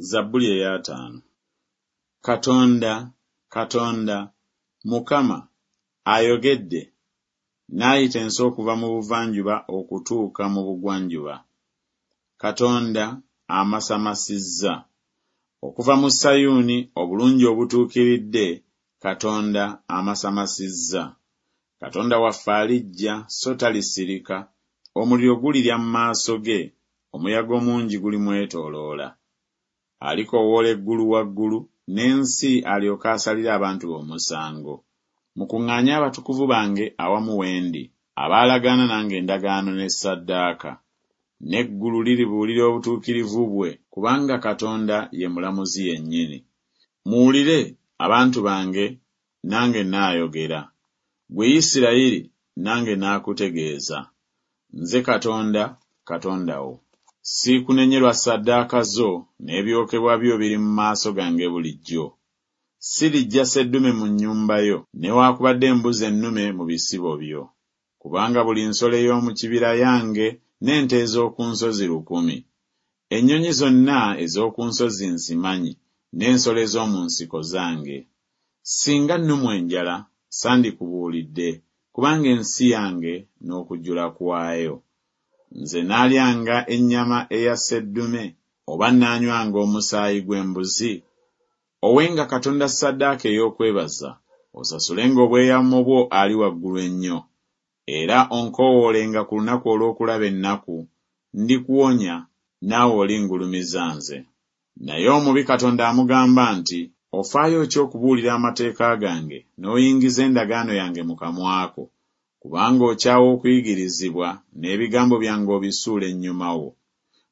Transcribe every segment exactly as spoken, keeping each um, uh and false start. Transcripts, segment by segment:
Zabbuli ey'ataano. Katonda, Katonda, Mukama, ayogedde, n'ayita ensi okuva mu buvanjuba okutuuka mu bugwanjuba. Katonda amasamasizza. Okuva mu Sayuuni obulungi obutuukiridde, Katonda amasamasizza. Katonda waffe alijja so talisirika, omuliro gulirya mu maaso ge, omuyaga omungi gulimwetooloola. Alikoowoola eggulu waggulu, n'ensi alyoke asalire abantu be omusango. Mukuŋŋaanye abatukuvu bange awamu we ndi, abaalagaana nange endagaano ne ssaddaaka. N'eggulu liribuulira obutuukirivu bwe, kubanga Katonda ye mulamuzi yennyini. Muwulire, abantu bange, nange nnaayogera. Ggwe Isirayiri, nange naakutegeeza. Nze Katonda, Katonda wo. Siikunenye lwa ssaddaaka zo, n'ebyokebwa byo biri mu maaso gange bulijjo. Siriggya sseddume mu nnyumba yo, newaakubadde embuzi ennume mu bisibo byo. Kubanga buli nsolo ey'omu kibira yange, n'ente ez'oku nsozi lukumi. Ennyonyi zonna ez'oku nsozi nzimanyi, n'ensolo ez'omu nsiko zange. Singa nnumwa enjala, sandikubuulidde, kubanga ensi yange n'okujjula kwayo. Nze naalyanga ennyama eya sseddume, oba naanywanga omusaayi gw'embuzi? Owenga Katonda ssaddaaka ey'okwebaza, osasulenga obweyamo bwo ali waggulu ennyo. Era onkoowoolenga ku lunaku olw'okulaba ennaku, ndikuwonya, naawe olingulumiza nze. Naye omubi Katonda amugamba nti, Ofaayo ki okubuulira amateeka gange, n'oyingiza endagaano yange mu kamwa ko? Kubanga okyawa okuyigirizibwa, n'ebigambo byange obisuula ennyuma wo.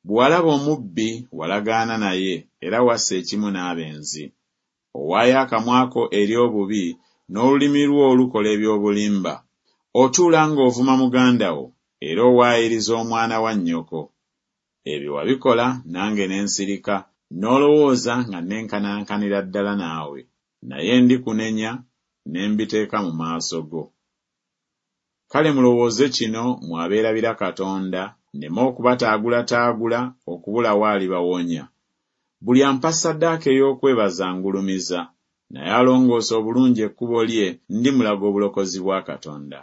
Bwe walaba omubbi, walagaana naye, era wassa ekimu n'abenzi. Owaayo akamwa ko eri obubi, n'olulimi lwo lukola eby'obulimba. Otuula ng'ovuma muganda wo, era owaayiriza omwana wa nnyoko. Ebyo wabikola nange ne nsirika, n'olowooza nga nnenkanankanira ddala naawe. Naye ndikunenya, ne mbiteeka mu maaso go. Kale mulowooze kino mmwe abeerabira Katonda, nneme okubataagulataagula okubulawo alibawonya. Buli ampa ssaddaaka ey'okwebaza angulumiza, naye alongoosa obulungi ekkubo lye ndimulaga obulokozi bwa Katonda.